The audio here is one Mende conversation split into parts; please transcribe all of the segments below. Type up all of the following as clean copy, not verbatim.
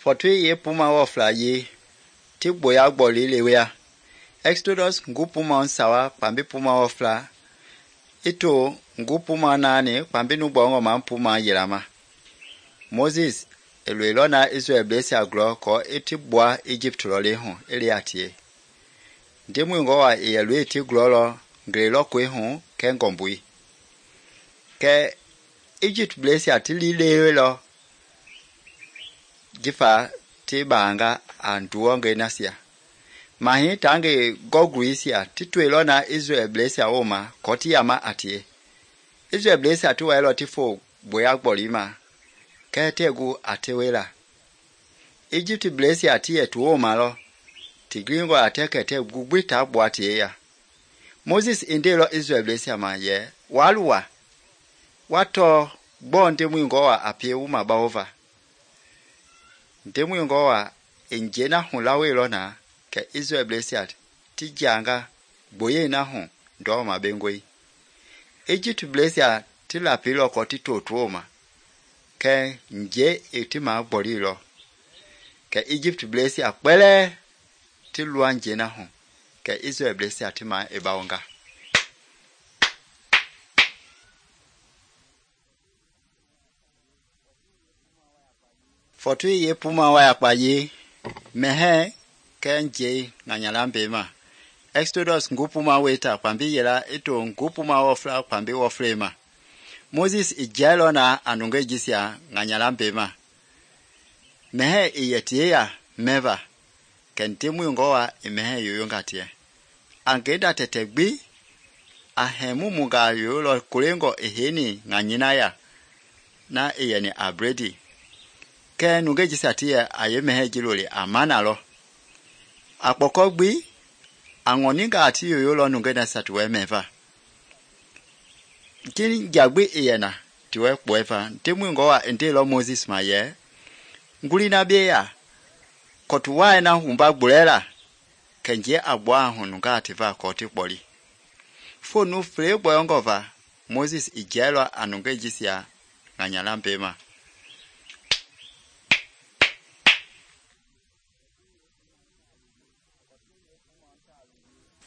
Fɔtui ye puma wɔ fla ye ti gboya gbɔli lewea. Exodus ngu puma sawa kpambi puma wɔ fla ito ngu puma naani kpambi nu gbɔngɔ ma puma yelama. Moses eloilɔ na Israel blesia glɔ kɔ eti gbua Egypt lɔle hu eliatie. Ndemui ngɔwa eyelui ti glɔlɔ ngelelɔkɔi hu kɛ ngɔmbui. Kɛ Egypt blesia ti lilelɔ jifa ti baanga a nduɔngɛi nasia. Mahi tangi gɔgruisia ti toilɔ na Israel blesia woma kɔ ti yama a tie. Israel blesia ti wailɔ ti fo gboya gbɔli ma kɛ tegu a tewela. Egypt blesia ti yɛ tu woma lɔ ti gringɔ a tɛ kɛtɛ gugbi ta gbua tie ya. Moses indelɔ Israel blesia ma yɛ waluwa watɔ gbɔ ndemui ngɔwa a pie wuma bawova. Ndemui ngɔwa enje na hu lawelɔ na kɛ Israel blesia ti janga gboye na hu ndɔma bengoi. Egypt blesia ti lapilɔ kɔ ti totuoma kɛ nje eti ma gbɔlilɔ kɛ Egypt blesia kpɛlɛ ti lua nje na hu kɛ Israel blesia ti ma ebawonga. Fɔtui ye puma wa yakpa ye mɛhɛ kɛ nje nganyala mbema. Exodus ngu puma weta kpambi yela ito ngu puma wɔ fla kpambi wɔ flema. Moses ijailɔ na anungɛ jisia nganyala mbema. Mɛhɛ iyetie ya mɛva kɛ ndemui ngɔwa imɛhɛ yoyonga tie. Angeda tɛtɛ gbi a hɛmumunga yoyolɔ kolengɔ eheni nganyina ya na iyeni a bredi. Kɛ nungɛ jisia tie a ye mɛhɛ jiloli a mana lɔ. A kpɔkɔ gbi a ŋɔninga ati yoyolɔ nungɛ na satuwɛ mɛva. Kini jagbi iyena tiwɛ kpɔɛva ndemui ngɔwa endelɔ Moses ma yɛ ngulina bieya kɔtuwae na humba gbulɛla kɛnje a gbua hu nunga ativa kɔti kpɔli. Fonu fle gbɔyɔngɔva Moses ijailɔ a nungɛ jisia nganyala mbema.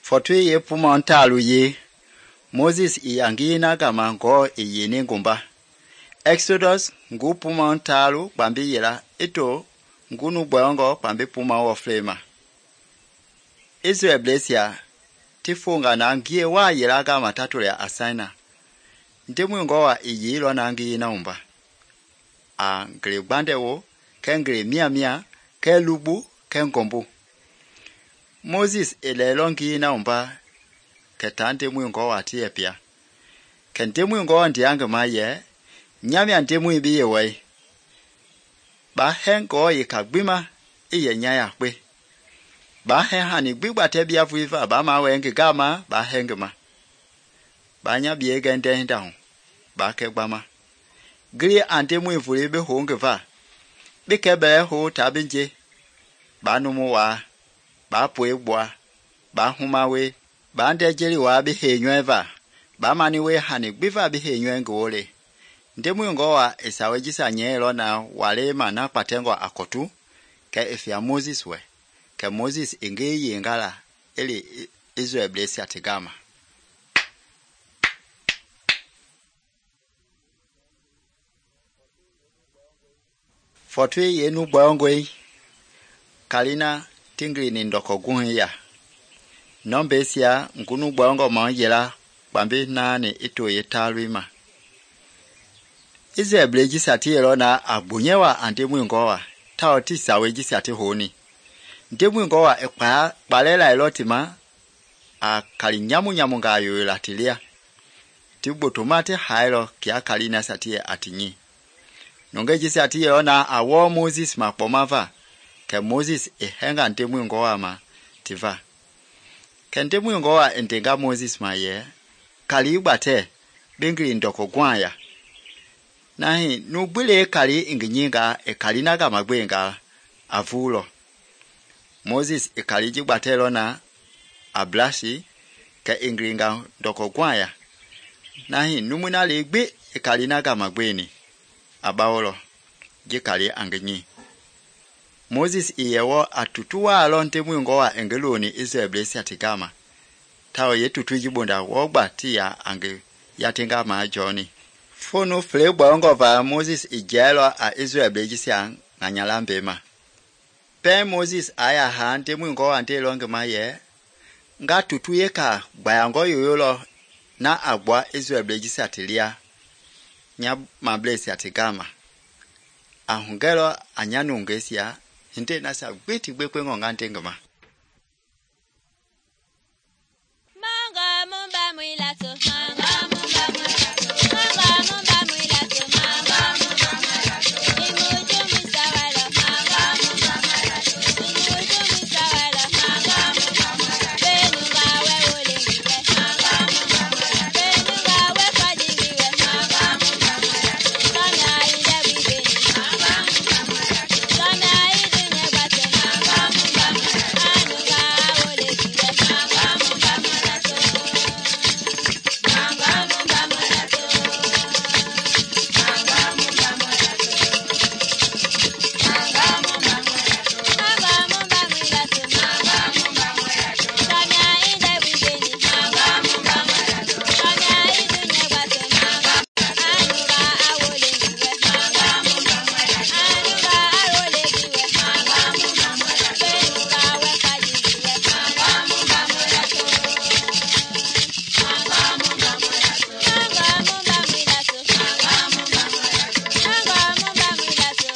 Fɔtui ye puma ntalu ye Moses iyangi na gama ngɔ iyeni ngumba. Exodus ngu puma ntalu kpambi yela ito ngu nu gbɔngɔ kpambi puma wɔ flema. Israel blesia ti fonga na ngie wa yela gama tatule a Sinai. Ndemui ngɔwa iyilɔ na ngi na umba. A ngele gbandewo kɛ ngele mia kɛ lubu kɛ ngɔmbu. Moses elelɔ ngi na umba kɛ ta ndemui ngɔwa ti yɛpia. Kɛ ndemui ngɔwa ndiange ma yɛ nyamia ndemui bi ye wai. Ba hɛ ngɔ ye ka gbima iye nyaya kpe. Ba hɛ hani gbigba tɛ bia vuiva ba ma wɛ ngi gama ba hɛ ngi ma. Ba nya bie gɛndɛ hinda hu ba kɛ gbama. Gili a ndemui vuli bi ho ngi va. Bi kɛ bɛ ho ta binje. Ba numu waa. Ba poe gbua. Ba humawe. Ba nde jeli waa bi he nyɔe va. Ba mani we hani gbiva bi he nyɔe ngi wole. Ndemui ngɔwa esawe jisa nyɛlɔ na wale ma na kpatɛngɔ akɔtu kɛ efia Moses wɛ. Kɛ Moses inge yengala eli Israel blesia tigama. Fɔtui ye nu gbɔngɔi kalina tingli ni ndɔkɔ guhi ya. Nɔmbesia ngunu gbɔngɔ ma yela kpambi naani ito ye talui ma. Israel ble jisia ti yelɔ na a gbonyewa a ndemui ngɔwa tao ti sawe jisia ti honi. Ndemui ngɔwa kpalela elɔ ti ma a kali nyamu nga yoyola ti lia. Ti gbotoma ti hailɔ kia kali na sa ti ye ati nyi. Nungɛ jisia ti yelɔ na a wɔ Moses ma kpɔma va kɛ Moses ehɛnga ndemui ngɔwa ma ti va. Kɛ ndemui ngɔwa endenga Moses ma yɛ kali gbatɛ bengili ndɔkɔ gwa ya. Nahi nugbile kali inginyinga kali na gama gbenga avulɔ. Moses kali jigbatɛlɔ na a blasi kɛ ingringa ndɔkɔ gwa ya. Nahi numuna le gbe kali na gama gbeni. Abawolo jikali angenyi. Moses i yewo a tutu wa lon Ndemui ngowa engeloni Israelblesia tigama. Tao ye tutu jibonda wogba tia ange yatinga ma Johnny. Fonu fle bongo va Moses i jelo a Israelblesia nganyala mbema. Pe Moses aya ha Ndemui ngowa nde longe ma ye nga tutu yeka bayango yoyolo na agba Israelblesia tilia nya mablesia tigama. Ahungelo anyanungesia hinte nasa gwiti gbekwe ngonga ntengama. Manga mumba mwilato, manga mumba mwilato, manga mumba mwilato, manga mumba mwilato. Imuju misawalo, manga mumba mwilato. Imuju misawalo, manga mumba mwilato. Benunga we ulingiwe, manga mumba mwilato. Benunga we fadingiwe, manga mumba mwilato. Kama inde wibeni, manga mumba mwilato. Kama ide nebate, manga mumba mwilato. Anunga ulingiwe, manga mumba mwilato. Manga mumba mwilato. Manga mumba mwilato. Manga mumba mwilato. Manga mumba mwilato. Manga mumba mwilato. Kama inde wibeni, manga mumba mwilato. Kama ide nebate, manga anunga awolengiwe, manga mumba mwilato. Anunga awolengiwe, manga mumba mwilato. Benunga wekadingiwe, manga mumba mwilato. Manga mumba mwilato. Manga mumba mwilato. Manga mumba mwilato. Manga mumba mwilato. Manga mumba mwilato.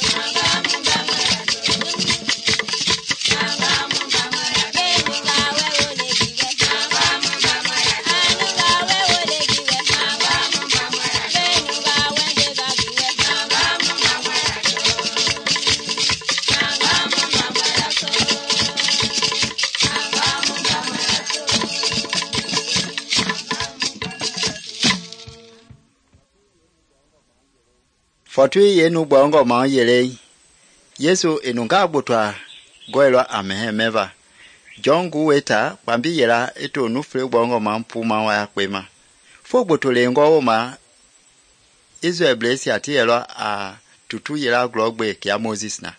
Manga mumba mwilato. Benunga wewolegiwe, manga mumba mwilato. Anunga wewolegiwe, manga mumba mwilato. Benunga wendegagiwe, manga mumba mwilato. Manga mumba mwilato. Manga mumba mwilato. Fortui yenu bongo ma yele. Yesu enunga botwa goelo amehemeva. John guweta kwambi yela eto nufle bongo ma mpuma wa kwema. Fo botole ngo ma Israelblesia tielo a tutu yela glogbe kia Moses na.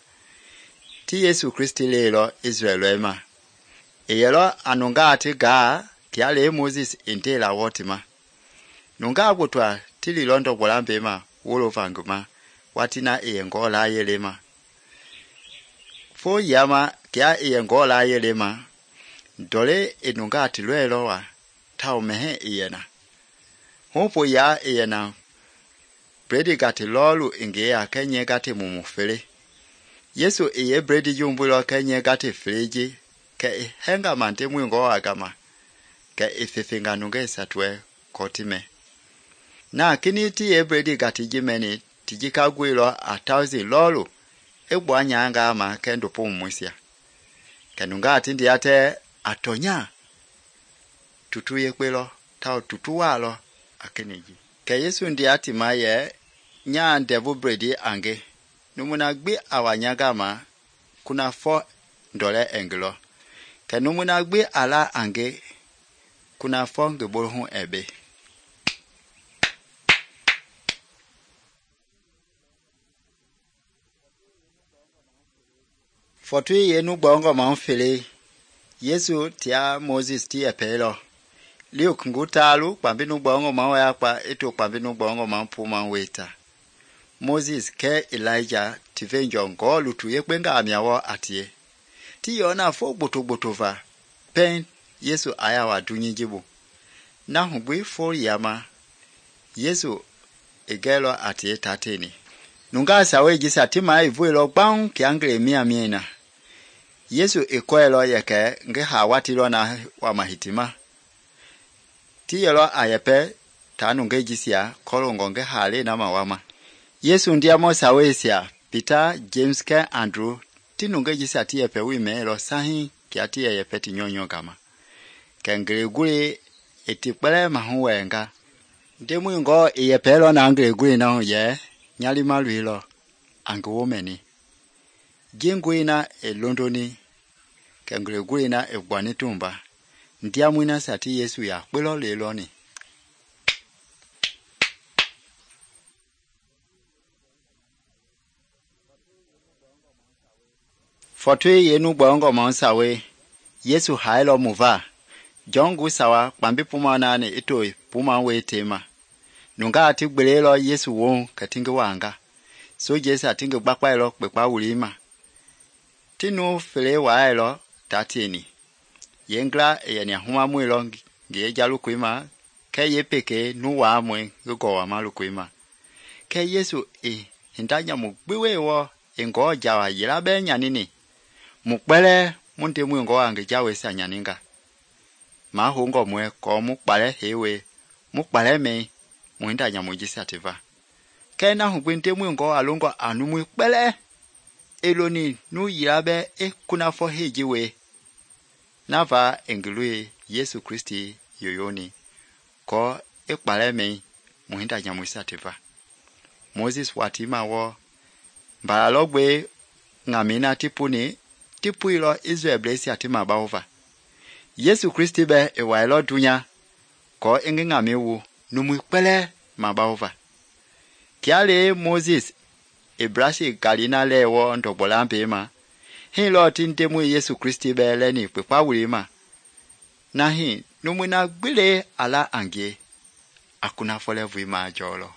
Ti Yesu Kristi lelo Israelema. Eyelo anunga ati ga kia le Moses intela wotima. Nunga botwa tili londo bolambema wolo vanguma watina eyengola yelema. Fo yama kia eyengola yelema dole enunga ati lwelo wa tao mehe eyena. Hopo ya eyena bredi gati lolu inge ya kenye gati mumufele. Yesu eye bredi jumbulo kenye gati freji ke henga mante mwingo agama ke ifefinga nunge satwe kotime. Na kini ti ebredi gati jimeni tijika gwilo 1,000 lolu egbo anyanga ma kendo pomwisia. Kenunga atindi ate atonya tutu yekwelo tao tutu walo akeniji. Ke Yesu ndi ati maye nya ndevu bredi ange numuna gbi awanyaga ma kuna $4 englo. Ke numuna gbi ala ange kuna $4 ngebolhu ebe. Fortui yenu bongo ma mfele. Yesu tia Moses tia pelo. Liuk ngutalu kwambinu bongo ma yakpa eto kwambinu bongo ma mpuma weta. Moses ke Elijah tivenjo ngolu tu yekwenga amyawo atie. Ti yona fo botova. Pen Yesu aya wa dunyijibu. Na hubwi fo yama. Yesu egelo atie tateni. Nunga sawe jisa tima ivuelo bang kiangle miena. Yesu ekwelo yeke nge hawatilo na wa mahitima. Tiyelo ayepe tanu nge jisia kolongo nge hale na mawama. Yesu ndiamo sawesia Peter, James ke Andrew tinu nge jisia tiyepe wimelo sahi kia tiye yepeti nyonyo gama. Kengele guli etipele mahuwenga. Ndemui ngo iyepelo na ngele guli na ye nyali maluilo angewomeni. Jingwina Londoni kengele gwina egwani tumba ndiamwina sati Yesu ya kwelo leloni. Fɔtoi yenu gbɔngɔ mɔ sawe Yesu hailɔ mu va John gu sawa kpambi puma nani ito puma we tema nunga ati gbelelɔ Yesu wo katingi wanga so Jesu atingi gbakpailɔ kpekpa wulima tinu fele wailɔ tatini yengla yani huma muilɔ nge jalu kuima ke yepeke nu wa mwe go wa malu kuima ke Yesu hindanya mu gbiwe wo ngo jawa yila be nyanini mu kpele munte mu ngo ange jawe sa nyaninga ma hongo mwe ko mu kpale hewe mu kpale me mu hindanya mu jisativa ke na hu gbinte mu ngo alongo anu mu kpele eloni nu yila be kuna fo hejiwe nava engului Yesu Kristi yoyoni ko kpale me mu hindanya mu jisativa Moses watima wo mbalogbe ngamina tipuilo Israel blesi atima baova Yesu Kristi be ewailo dunya ko ingi ngamiwu numu kpele mabaova kiale Moses ebrashi galina lewo ndogbolambe ma hilo tindemu Yesu Kristi be leni pepa wulima nahi numu na gbile ala angie akuna folevu ma jolo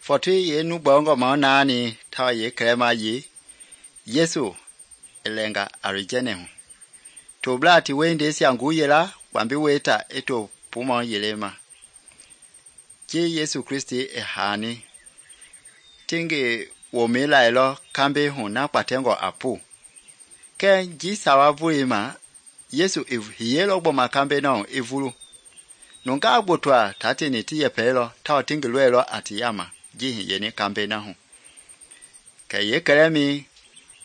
Fɔtoi yenu gbɔngɔ mɔ nani tawa ye krema ye Yesu elenga arijene hu to blati wende siangu yela kwambi weta eto puma yelema je Yesu Kristi ehani tinge womela elo kambe hu na patengo apu ke ji sawa vulima Yesu hiyelo gbo makambe no evulu nunga gbotwa tatini tiye pelo tawa tinge lwelo atiyama jihi yeni kambe na hu ka ye kremi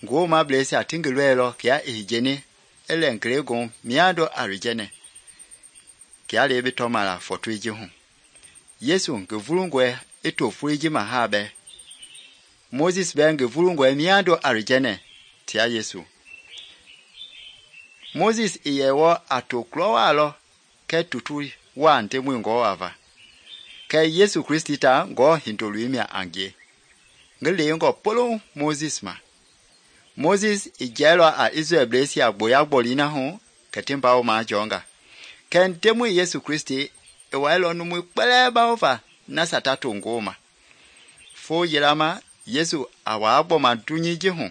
ngo ma blesi atingi lwelo kia ehijeni ele nkrego miado arijene kia lebe tomala fotwiji hu Yesu ngevulungwe eto fuiji mahabe Moses be ngevulungwe miado arijene tia Yesu Moses iyewo atoklowalo ke tutu wa ntemu ngo ava ke Yesu Kristi ta ngo hindolwimia angie ngele ngo polo Moses ijelo a Israel blesi agboya gbolina hu ketimba o ma jonga ken temu Yesu Kristi ewailo numu kpele baova na satatu ngoma fo yelama Yesu awa agbo ma dunyiji hu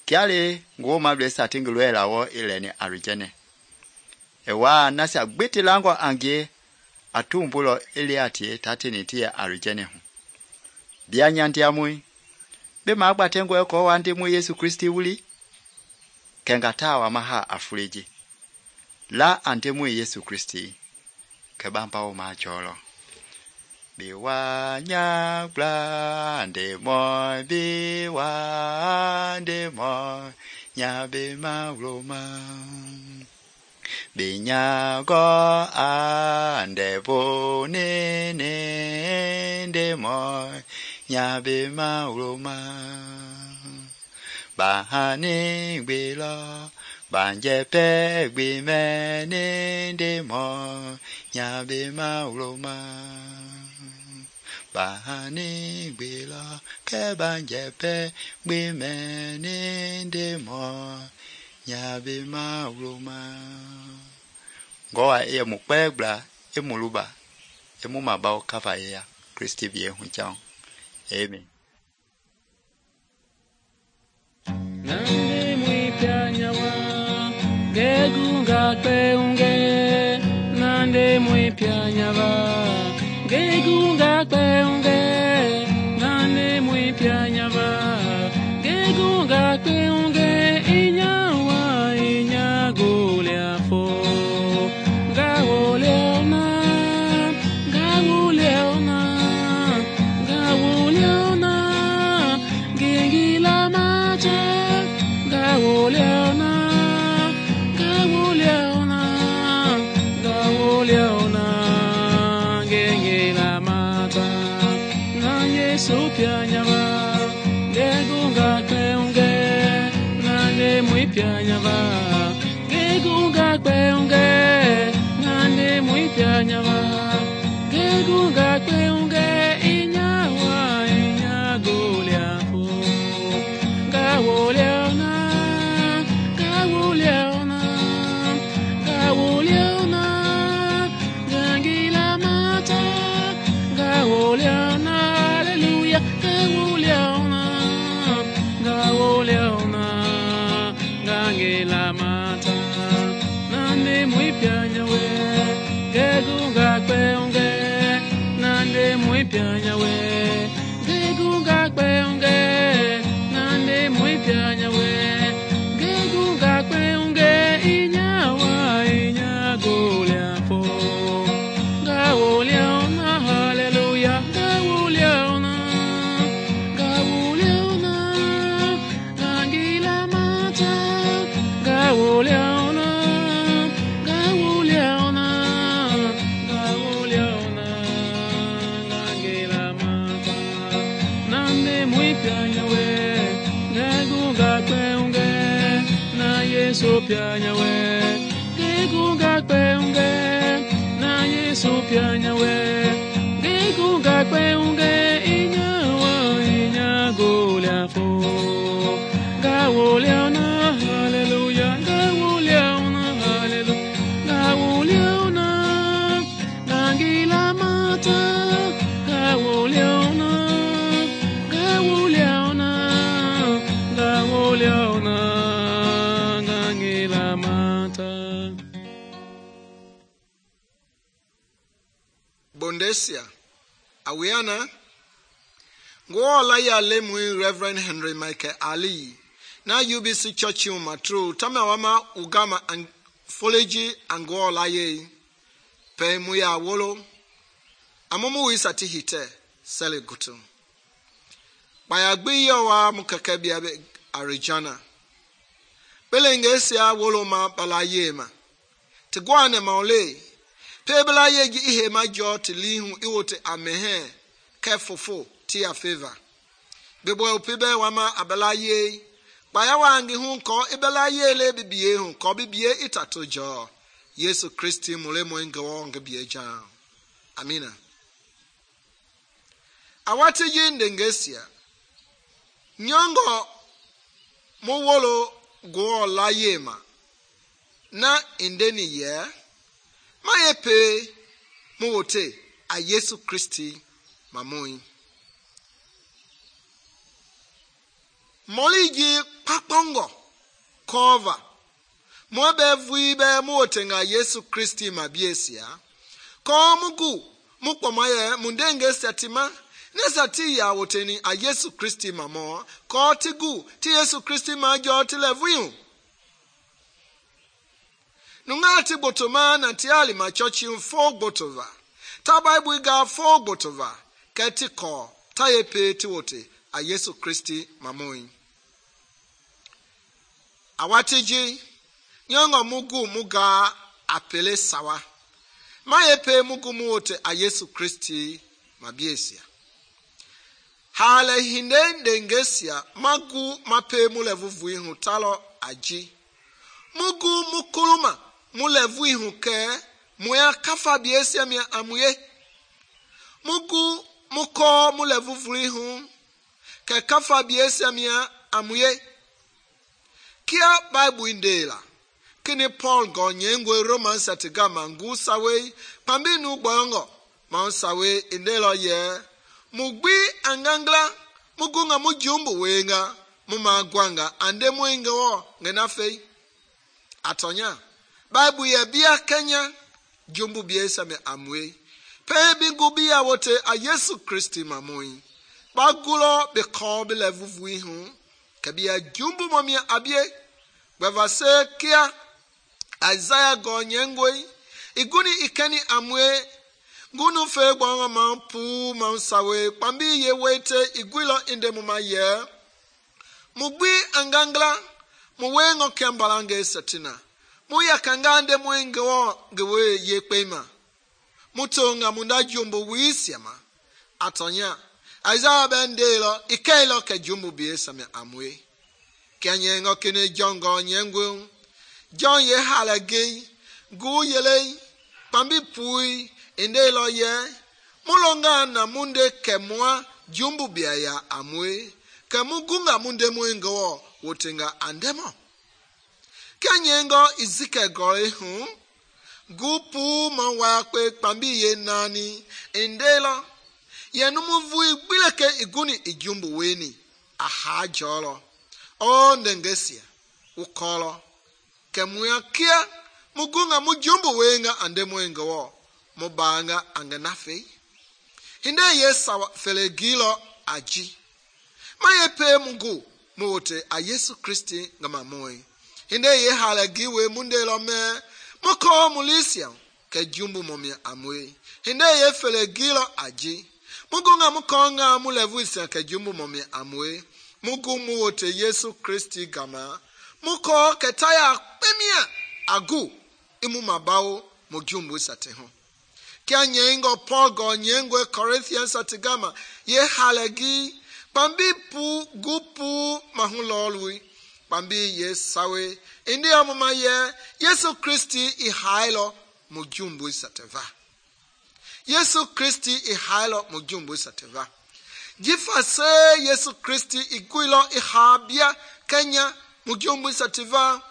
kiale ngoma blesi atingulwela wo ileni arijene ewa nasa gbetilango angie atumbulo eliatie tatini tie arijene hu bianyandiamui be magbatengo ko wande mu Yesu Kristi wuli kengatawa maha afuliji la ante mu Yesu Kristi kebamba o majolo biwanya blande mo biwande mo nyabe mauloma binyago ande bonene ndemo nyabe mauloma bahani gbelo banjepe gbimene ndemo nyabe mauloma bahani gbelo ke banjepe gbimene ndemo nyabe mauloma goa e mukpegla e muluba e mumabao kava ya Kristi vie hunchao amen nande mwipyanyawa gegunga kweunge nande mwipyanyawa gegunga kweunge nande mwipyanyawa gegunga kweunge inyawa inyaguliafo gawuliona gengila mate gawuliona gengila mata na Yesu pyanyava gegunga kweunge nande mwipyanyava gegunga kweunge nande mwipyanyava pianya we gegunga kpeunge nane mui pianya we gegunga kpeunge inyawa inyagoliafo gawoliona haleluya gawoliona gangila mata gawoliona Yesu pianya we gegunga kpeunge na Yesu pianya we gegunga kpeunge inyawa inyagoliafo gawoliona haleluya gawoliona haleluya gawoliona gangila mata gawoliona gawoliona gawoliona Bondesia awiana ngo la ya lemui Reverend Henry Michael Ali na UBC Church matru tama wama ugama foleji ango la ye pe mu ya wolo amomo wisati hite sele gutu baya gbe yawa mukaka bia Arizona belengesia wolo ma balaye ma tigwane maole pebla yegi ihe majo tilihu iwote amehe kefofo tia favor bebo pebe wama abalaye baya wangi hu ko ibalaye le bibie hu ko bibie itatojo Yesu Kristi mulemo ngo ngebie ja amina awati yinde ngesia nyongo mowolo go la yema na indeni ye mayepe muwote a Yesu Kristi mamoi moliji papongo cover mobe vuibe muwote nga Yesu Kristi mabiesia ko mugu mukpomaye mundenge setima nesati ya woteni a Yesu Kristi mamo ko tigu ti Yesu Kristi majo tilevuyu nungati botoma na tiali machochi mfo botova ta Bible ga fo botova keti ko ta yepe ti wote a Yesu Kristi mamoi awatiji nyongo mugu muga apele sawa mayepe mugu muwote a Yesu Kristi mabiesia hale hinde ndengesia magu mape mulevuvu ihu talo aji mugu mukuluma mulevu ihu ke muya kafa biesia mia amuye mugu muko mulevuvu ihu ke kafa biesia mia amuye kia Bible indela kini Paul gonyengwe Romans atiga mangu sawe pambinu gbongo ma sawe indela ye mugbi angangla mugunga mujumbu wenga mumagwanga ande mwinga wo ngenafe atonya Bible ya bia Kenya jumbu biesa me amwe pe bingubi ya wote a Yesu Kristi mamoi bagulo be ko be levuvu ihu kabia jumbu momia abie bavase kia Isaiah gonyengwe iguni ikeni amwe ngunu fe gbonga mampu mansawe pambi ye wete igwilo inde muma ye mugbi angangla muwengo kembalange satina muya kangande mwengo gewe ye pema mutonga munda jumbo wisiama atonya Isaiah bendelo ikelo ke jumbo biesa me amwe kenyengo kene jongo nyengwe John ye halage gu yele pambi pui indelo ye mulonga na munde kemwa jumbu bia ya amwe kemugunga munde mwengo wotenga andemo kenyengo izike gore hu gupu mawa kwe pambi ye nani indelo ye numuvu igbileke iguni ijumbu weni aha jolo o ndengesia ukolo kemuya kia mugunga mujumbu wenga ande mwengo mubanga angenafe hinde ye sawa fele gilo aji ma ye pe mugu mote a Yesu Kristi ngama moi hinde ye hala giwe munde lo me moko mulisia ke jumbu momi amwe hinde ye fele gilo aji mugu nga moko nga mulevuisia ke jumbu momi amwe mugu mote Yesu Kristi gama muko ketaya pemia agu imu mabao mo jumbu sate ho kia nyengo Paul go nyengwe Corinthians atigama ye halagi pambi pu gupu mahulolwi pambi ye sawe indi amuma ye Yesu Kristi I hailo mo jumbu sateva Yesu Kristi I hailo mo jumbu sateva jifa se Yesu Kristi iguilo I habia Kenya mo jumbu sateva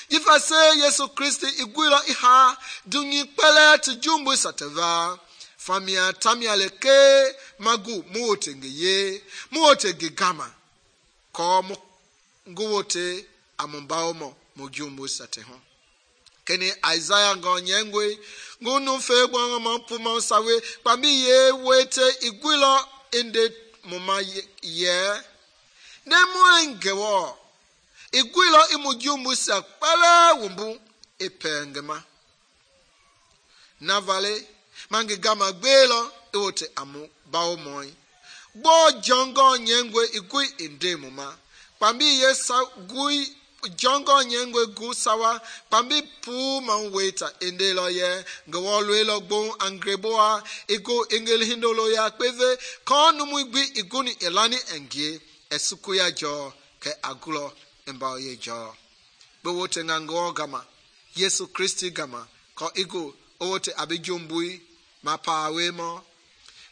jifa se Yesu Kristi iguilo I ha dunyi pele tu jumbu sateva famia tamia leke magu muote ngeye muote gigama ko nguwote amumbao mo jumbu sate ho keni Isaiah ngo nyengwe ngunu fe gwa mo puma sawe pambi ye wete iguilo inde moma ye nemo ngewo iguilo imujumbu sa pala wumbu ipengema navale mangi gama gbelo iwote amu bao moi gbo jongo nyengwe igui inde muma pambi ye sa gui jongo nyengwe gu sawa pambi pu man weta inde lo ye ngwo lwelo gbo angreboa igo engel hindolo ya peve konu mugbi iguni elani engie esuku ya jo ke agulo mbao ye jo bewote ngwo gama Yesu Kristi gama ko igo owote abijumbui mapawe mo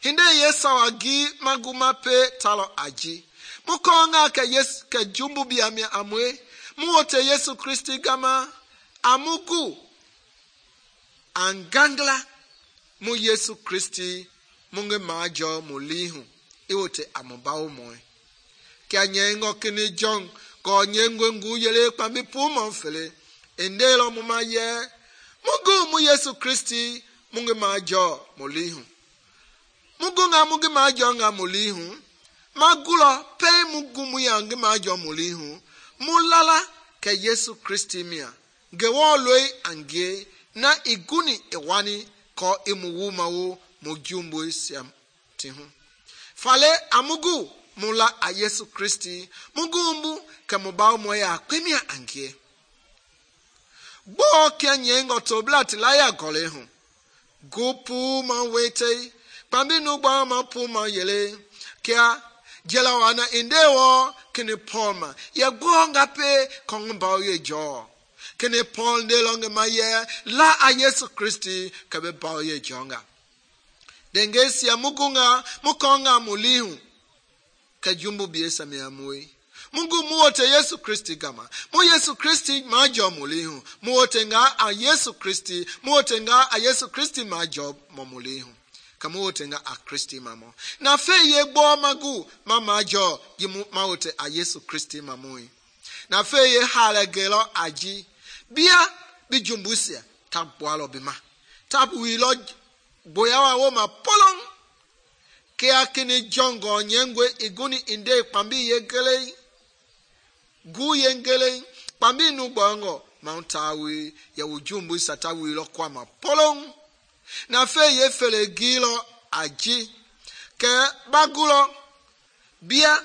hinde yesawa gi maguma pe talo aji mukonga ke jumbu biamia amwe muote Yesu Kristi gama amugu angangla mu Yesu Kristi munge majo mulihu iwote amubao moe kia nyengo kini jong ko nyengwe ngu yele pambi puma mfele endelo muma ye mugu mu Yesu Kristi munge majo mulihu mugu nga munge majo nga mulihu magulo pe mugu mu yange majo mulihu mulala ke Yesu Kristi mia gewo loi angie na iguni ewani ko imuwuma wo mujumbu siam tihu fale amugu mula a Yesu Kristi mugumbu ke mubao moya kwemia angie bo kenye ngoto blat la ya golehu gupu ma wete pambi nu gba ma pu ma yele kia jela wana indewo kini Paul ye gonga pe kongba ye jo kini Paul de longe ma ye la a Yesu Kristi ke be ba ye jonga dengesi ya mugunga mukonga mulihu ke jumbu biesa me amui mungu muote Yesu Kristi gama mu Yesu Kristi majo mulihu muote nga a Yesu Kristi muote nga a Yesu Kristi majo momulihu kamuote nga a Kristi mamo na fe ye gbo magu mamajo yimu maote a Yesu Kristi mamui na fe ye halagelo aji bia bijumbusia tabwalo bima tabu wilo boyawa wo ma polong ke akini jongo nyengwe iguni inde pambi yegele gu yengele pambi nu bongo mauntawi ya ujumbu satawi lo kwa ma polong na fe ye fele gilo aji ke bagulo bia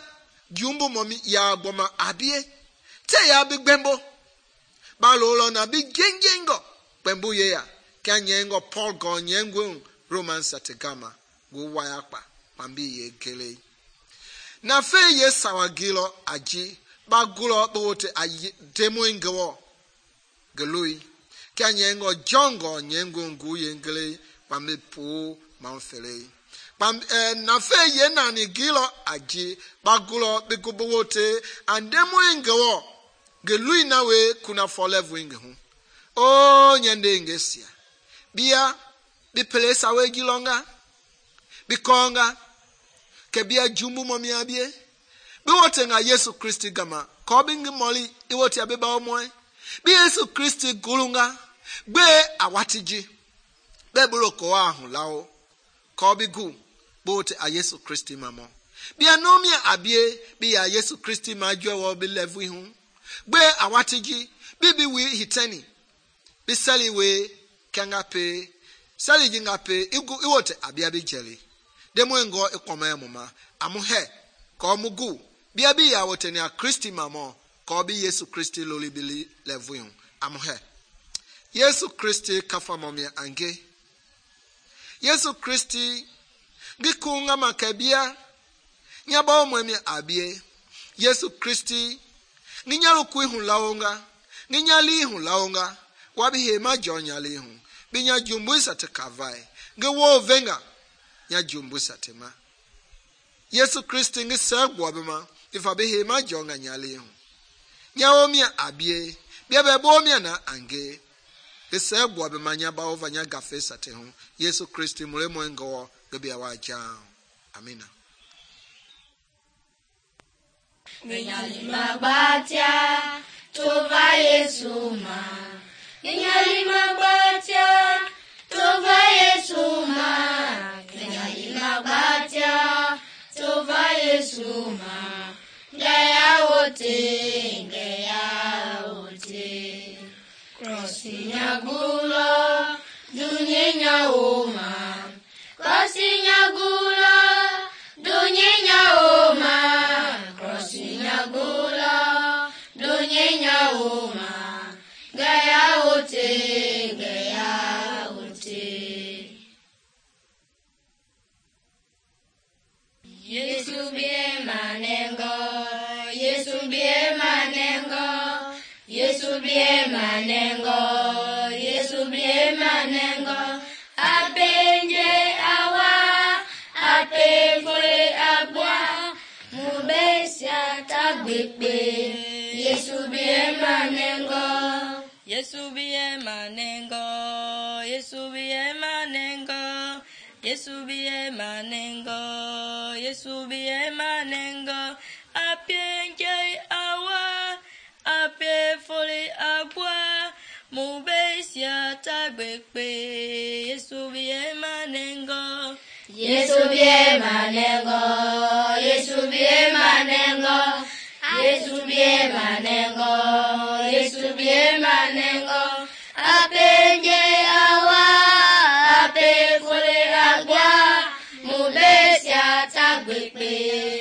jumbu momi ya boma abie te ya bigbembo balolo na bi gengengo pembu ye ya kanyengo Paul go nyengwe Romans atigama gu wayakpa pambi ye gele na fe ye sawagilo aji bagulo bote ayi demoingo gelui kanyengo jongo nyengo ngu ye gele pambi pu manfele na fe ye nani gilo aji bagulo bigubote andemoingo gelui nawe kuna forever ingehu o nyende ngesia bia bi pelesa we gilonga bikonga ke bia jumbu momi abie bi wote nga Yesu Kristi gama ko bingi moli I wote abeba omoy bi Yesu Kristi gulunga gbe awatiji be bulo ko ahun lawo ko bi gu bote a Yesu Kristi mamo. Bia nomia abie bia Yesu Kristi ma jwe wo bi levu hu. Gbe awatiji bibi wi hiteni. Bi sali we kanga pe sali jinga pe iwote abia bi jeli. Demo ngo ikome mama amu he ko mugu bia bi ya wote ni a Kristi mamo ko bi Yesu Kristi loli bi levu hu amu he. Yesu Kristi kafa momia ange. Yesu Kristi ngikunga makabia nyaba mwemi abie. Yesu Kristi nginyalu kuihu laonga nginyali hu laonga wabi hema jonyali hu binya jumbuisa te kavai ngewo venga nya jumbuisa te ma. Yesu Kristi ngisegwa bema ifa bi hema jonga nyali hu nyawo mia abie bia bebo mia na ange ese bwa be manya ba over nya gafesa te ho Yesu Kristi mulemo ngo bebi awaja. Amina. Nginyali magbatia tova Yesu ma. Nginyali magbatia tova Yesu ma. Nginyali magbatia tova Yesu ma. Ngaya wote Krosinya gula dunyenya oma. Krosinya gula dunyenya oma. Krosinya gula dunyenya oma. Gaya wote Yesu bie manengo. Yesu bie manengo. Yesu bie manengo, Yesu bie manengo, apenje awa, apefole abwa, mubesia tagbepe, Yesu bie manengo, Yesu bie manengo, Yesu bie manengo, Yesu bie manengo, Yesu bie manengo, apenje awa, ape foli abwa mubesia tagbepe Yesu bie manengo Yesu bie manengo Yesu bie manengo Yesu bie manengo Yesu bie manengo apenje awa ape foli abwa mubesia tagbepe